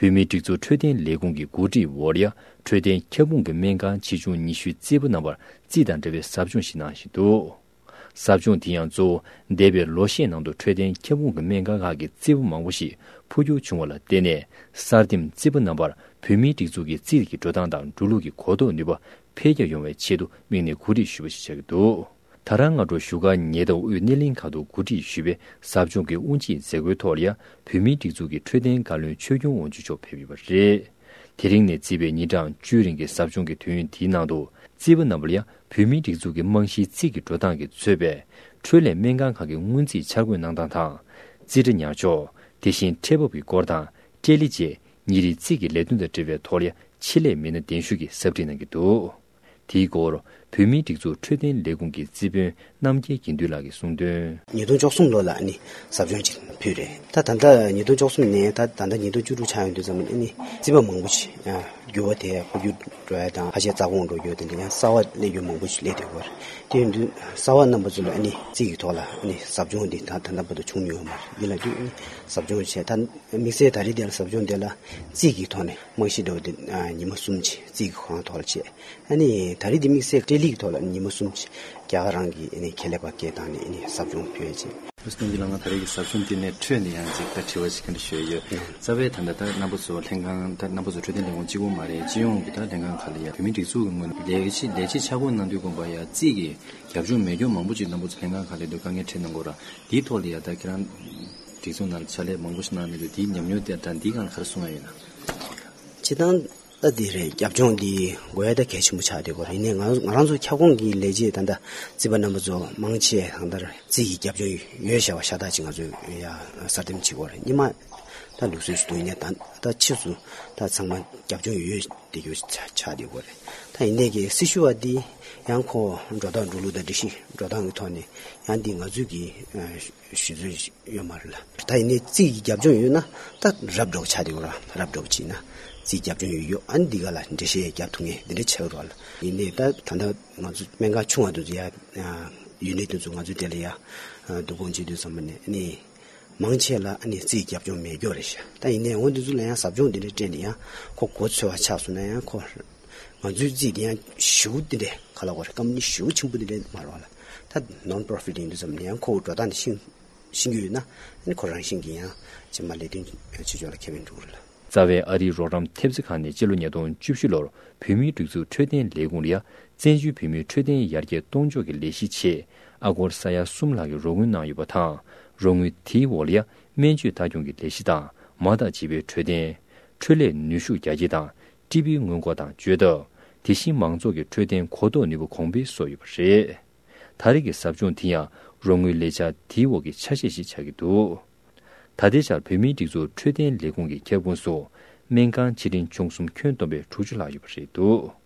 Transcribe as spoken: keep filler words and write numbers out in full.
བོད་མིའི་སྒྲིག་འཛུགས་འཕྲོད་བསྟེན་ལས་ཁུངས་ཀྱི་འགོ་ཁྲིད་འོག་ལ་ཡ་འཕྲོད་བསྟེན་ཁྱབ་ཁོངས་ཀྱི་སྨན་ཁང་ཆེ་ཆུང་ཉི་ཤུའི་རྩིས་པ་རྣམ་པར་རྩིས་དང་འབྲེལ་བའི་ཟབ་སྦྱོང་ཞིག་གནང་བཞིན་འདུག། ཟབ་སྦྱོང་དེ་ཡང་གཙོ་བོ་འདས་པའི་ལོ་ཤས་ནང་དུ་འཕྲོད་བསྟེན་ཁྱབ་ཁོངས་ཀྱི་སྨན་ཁང་ཁག་གི་རྩིས་པ་མང་པོ་ཞིག་འཕོ་འགྱུར་བྱུང་བ་ལ་བརྟེན་ནས། གསར་འདེམས་རྩིས་པ་རྣམ་པར་བོད་མིའི་སྒྲིག་འཛུགས་ཀྱི་རྩིས་ཀྱི་འགྲོ་སྟངས་དང་འགྲོ་ལུགས་ཀྱི་གོ་རྟོགས་ནུས་པ་འཕེལ་རྒྱས་ཡོང་བའི་ཆེད་དུ་དམིགས་ནས་གོ་སྒྲིག་ཞུས་པ་ཞིག་ཆགས་ཀྱི་འདུག། ད་རང་སྔ་དྲོ་བཞུགས་སྒར་ཉེ་འདབས་དབུས་སྣེ་གླིང་ཁག་ཏུ་གོ་སྒྲིག་ཞུས་པའི་ཟབ་སྦྱོང་གི་དབུ་འབྱེད་མཛད་སྒོའི་ཐོག་ལ་ཡ། བོད་མིའི་སྒྲིག་འཛུགས་ཀྱི་འཕྲོད་བསྟེན་བཀའ་བློན་ཆོས་སྐྱོང་དབང་ཕྱུག་མཆོག་ཕེབས་ཡོད་པ་རེད། དེ་རིང་ནས་བརྩིས་པའི་ཉིན་གྲངས་བཅུའི་རིང་གི་ཟབ་སྦྱོང་གི་དུས་ཡུན་དེའི་ནང་དུ། རྩིས་པ་རྣམ་པ་ལ་ཡ་བོད་མིའི་སྒྲིག་འཛུགས་ཀྱི་རྨང་གཞིའི་རྩིས་ཀྱི་འགྲོ་སྟངས་ཀྱིས་གཙོས་པའི་འཕྲོད་ལས་སྨན་ཁང་ཁག་གི་སྔོན་རྩིས་འཆར་འགོད་གནང་སྟངས་དང་། རྩིས་ཁྲ་ཉར་ཕྱོགས། དེ་བཞིན་ཁྲལ་འབབ་ཀྱི་སྐོར་དང་། སྤྲེལ་ལི་བཅས་ཉིན་རེའི་རྩིས་ཀྱི་ལས་དོན་དང་འབྲེལ་བའི་ཐོག་ལ་ཡ་ཆེད་ལས་མི་སྣ་གདན་ཞུ་གིས་ཟབ་ཁྲིད་གནང་གི་འདུག། དེའི་སྐོར་བོད་མིའི་སྒྲིག་འཛུགས་འཕྲོད་བསྟེན་ལས་ཁུངས་ཀྱི་རྩིས་དཔོན་རྣམ་རྒྱལ་དགེ་འདུན་ལགས་ཀྱིས་གསུངས་དོན། ཉིས་སྟོང་བཅུ་གསུམ་ལོ་ལ་ཨ་ནི་ཟབ་སྦྱོང་ཅིག་ཕུལ་རེད། ད་ད་ལྟ་ཉིས་སྟོང་བཅུ་གསུམ་ནས་ད་ད་ལྟ་ཉིས་སྟོང་བཅུ་དྲུག་ཆགས་ཡོང་དུས་ཙམ་ཨ་ནི་རྩིས་པ་མང་པོ་ཞིག་ཡང་འགྱུར་བ་དེ་འཕོ་འགྱུར་འགྲོ་ཡ་དང་ཁ་ཤས་རྩ་དགོངས་འགྲོ་རྒྱུ་དེ་འདྲ་ཡང་གསར་བ་སླེབས་རྒྱུ་མང་པོ་ཞིག་སླེབས་བསྡད་ཡོད་རེད། དེ་ཡིན་དུས་གསར་བ་རྣམ་པ་ཚོ་ལ་ཨ་ནི་རྩིས་ཀྱི་ཐོག་ལ་ཨ་ནི་ཟབ་སྦྱོང་འདི་ད་ད་ལྟ་བར་དུ་བྱུང་མྱོང་མ་རེད། ཡིན་ལ་དུས་ཨ་ནི་ཟབ་སྦྱོང་བྱས་ད་དམིགས་བསལ་ད་རེས་འདི་ལ་ཟབ་སྦྱོང་འདི་ལ་རྩིས་ཀྱི་ཐོག་ནས་རྨང་གཞི་འདྲ་བོ་འདི་ཉི་མ་གསུམ་ཅིག་རྩིས་ཀྱི་ཁོ་རང་ཐོག་ལ་བྱས། ཨ་ནི་ད་རེས་འདི་དམིགས་བསལ་སྤྲེལ་ལི་གི་ཐོག་ལ་ཉི་མ་གསུམ་ཅིག་རྒྱ་གར་རང་གི་ཨ་ནི་ཁེ་ལས་པ་སྐད་བཏང་ནས་ཨ་ནི་ཟབ་སྦྱོང་ཕུལ་ཡ་ཅིག། ཨ་སྟོན་གྱི་ལ་ང་ད་རེས་ཀྱི་ཟབ་སྦྱོང་འདི་ནས་འཕྲོས་ནས་ཡང་ཅིག་ད་དྲི་བ་ཅིག་ག་འདྲ་ཞུ་ཡ་ཡོད། རྩ་བའི་ད་ལྟ་ད་རྣམ་པ་ཚོ་ལྷན་ཁང་ད་རྣམ་པ་ཚོ་འཕྲོད་བསྟེན་ལས་ཁུངས་གཅིག་པོ་མ་རེད། སྤྱི་ཡོངས་ཀྱི་ད་ལྷན་ཁང་ཁག་ལ་ཡ་བོད་མིའི་སྒྲིག་འཛུགས་ཀྱི་ངོས་ནས་ལས་བྱེད་ལས་བྱེད་ཆ་བགོས་གནང་དུས་དགོངས་པ་ཡ་རྩིས་ཀྱི་རྒྱབ་ལྗོངས་མེད་རྒྱུ་མང་པོ་ཅིག་རྣམ་པ་ཚོ་ལྷན་ཁང་ཁག་ལ་འདུག་དཀའ་ངལ་འཕྲད་གནང་གོ་ར། དེའི་ཐོག་ལ་ཡ་ད་ཁྱེད་རང་སྒྲིག་འཛུགས་ནང་ལ་ཕྱག་ལས་མང་པོ་ཞིག་གནང་ནས་འདུག་དེའི་ཉམས་མྱོང་དེ་ད་འདིའི་སྒང་ལ་ག་རེ་གསུང་ཡ་ཡོད་ན། སྤྱིར་བཏང་། ད་འདི་རེད། རྒྱབ་ལྗོངས་འདི་དགོས་ཡ་ད་གལ་ཆེན་པོ་ཆགས་བསྡད་ཡོད་རེད། ཡིན་ནའི་ང་ང་རང་ཚོ་ཁྱབ་ཁོངས་ཀྱི་ལས་བྱེད་ད་ལྟ་རྩིས་པ་རྣམ་པ་ཚོ་མང་ཆེ་གང་ལྟར་རྩིས་ཀྱི་རྒྱབ་ལྗོངས་ཡོད་བྱ་བ་ཤ་སྟག་ཅིག་ང་ཚོས་ཡ་གསར་འདེམས་བྱེད་དགོས་རེད། སྔོན་མ་ད་ལུགས་སྲོལ་ཞིག་འདུག་ཡིན་ནའི་ད་ད་ཕྱིས་སུ་ད་ཚང་མ་རྒྱབ་ལྗོངས་ཡོད་བསྡད་རྒྱུ་ཆགས་ཆགས་བསྡད་ཡོད་རེད། ད་ཡིན་ནའི་གི་སྲི་ཞུ་བ་འདི་ཡང་ཁོ་འགྲོ་སྟངས་འགྲོ་ལུགས་དང་སྒྲིག་གཞི་འགྲོ་སྟངས་ཀྱི་ཐོག་ནས་ཡང་འདི་ང་ཚོས་ཀྱི་ཞུ་རྩིས་ཡོད་མ་རེད་ལ། ད་ཡིན་ནའི་རྩིས་ཀྱི་རྒྱབ་ལྗོངས་ཡོད་ན་ད་རབ་འདྲ་བོ་ཆགས་བསྡད་ཡོད་ར། རབ་འདྲ་བོ་བྱས་ན་རྩིས་རྒྱབ་ལྗོངས་ཡོད་ཡོད་ཨ་ནི་འདི་ག་ལ་འགྲེལ་བཤད་རྒྱབ་ཐུབ་ངེས་འདི་འདྲ་ཆགས་ཡོད་ར་ལ། ཡིན་ནའི་ད་ད་ལྟ་ང་ཚོ་སྨན་ཁང་ཆུང་བ་དེ་ཚོ་ཡ་ཡུལ་ནི་དེ་ཚོ་ང་ཚོ་དེ་ལ་ཡ་བསྡུ་སྐོང་བྱེད་དུས་ཙམ་པ་ནས་ཨ་ནི་མང་ཆེ་ལ་ཨ་ནི་རྩིས་རྒྱབ་ལྗོངས་མེད་རྒྱུ་རེད་ཤག་ད་ཡིན་ནའི་འོ་འདི་ཚོ་ལ་ཡང་ཟབ་སྦྱོང་འདི་འདྲ་སྤྲད་ནས་ཡང་ཁོ་གོ་ཚོད་པ་ཆགས་སོང་ན་ཡང་ཁོ། ང་ཚོའི་རྩིས་དེ་ཡང་ཞེ་པོ་དེ་འདྲའི་ག་ལ་གོ་རེད། ཀམ་པ་ནི་ཞེ་པོ་ཆེན་པོ་དེ་འདྲའི་མ་རེད་བ་ལ། ད་ནོན་པོ་རོ་ཕི་ཊི་ཡིན་དུས་ཙམ་ནས་ཡང་ཁོ་འགྲོ་སྟངས་དེ་ཤེས་ཤེས་ཀྱི་ཡོད་ན་ཨ་ནི་ཁོ་རང་བཞིན་གྱིས་ཡང་རྗེས་མ་ལས་དོན་བྱེད་ཕྱོགས་ལ་ཁེ་ཕན་འགྲོ་གི་རེད་ལ། རྩ་བའི་ཨ་རིའི་རོགས་རམ་ཐེབས་རྩ་ཁང་ནས་སྤྱི་ལོ་ཉིས་སྟོང་བཅུ་བཞི་ལོར་བོད་མིའི་སྒྲིག་འཛུགས་འཕྲོད་བསྟེན་ལས་ཁུངས་ལ་ཡ་བཙན་བྱོལ་བོད་མིའི་འཕྲོད་བསྟེན་ཡར་རྒྱས་གཏོང་ཕྱོགས་ཀྱི་ལས་གཞི་ཆེད་ཨ་སྒོར་ས་ཡ་གསུམ་ལྷག་གི་རོགས་དངུལ་གནང་ཡོད་པ་དང་། རོགས་དངུལ་དེའི་འོག་ལ་ཡ་སྨན་བཅོས་ལྟ་སྐྱོང་གི་ལས་གཞི་དང་མ་དང་བྱིས་པའི་འཕྲོད་བསྟེན། འཕྲོད་ལས་ནུས་ཤུགས་རྒྱ་སྐྱེད་དང་། ཊི་བི་སྔོན་འགོག་དང་བཅོས་ཐབས། དེ་བཞིན་མང་ཚོགས་ཀྱི་འཕྲོད་བསྟེན་གོ་རྟོགས་ནུས་པ་གོང་འཕེལ་སོགས་ཡོད་པ་རེད། ད་རེས་ཀྱི་ཟབ་སྦྱོང་དེ་ཡང་རོགས་དངུལ་ལས་འཆར་དེའི་འོག་གི་ཆ་ཤས་ཤིག་ཆགས་ཀྱི་འདུག། ད་ལྟའི་ཆར་བོད་མིའི་སྒྲིག་འཛུགས་འཕྲོད་བསྟེན་ལས་ཁུངས་ཀྱི་ཁྱབ་ཁོངས་སུ་སྨན་ཁང་ཆེ་འབྲིང་ཆུང་གསུམ་ཁྱོན་བསྡོམས་པས་དྲུག་ཅུ་ལྷག་ཡོད་པ་རེད་འདུག།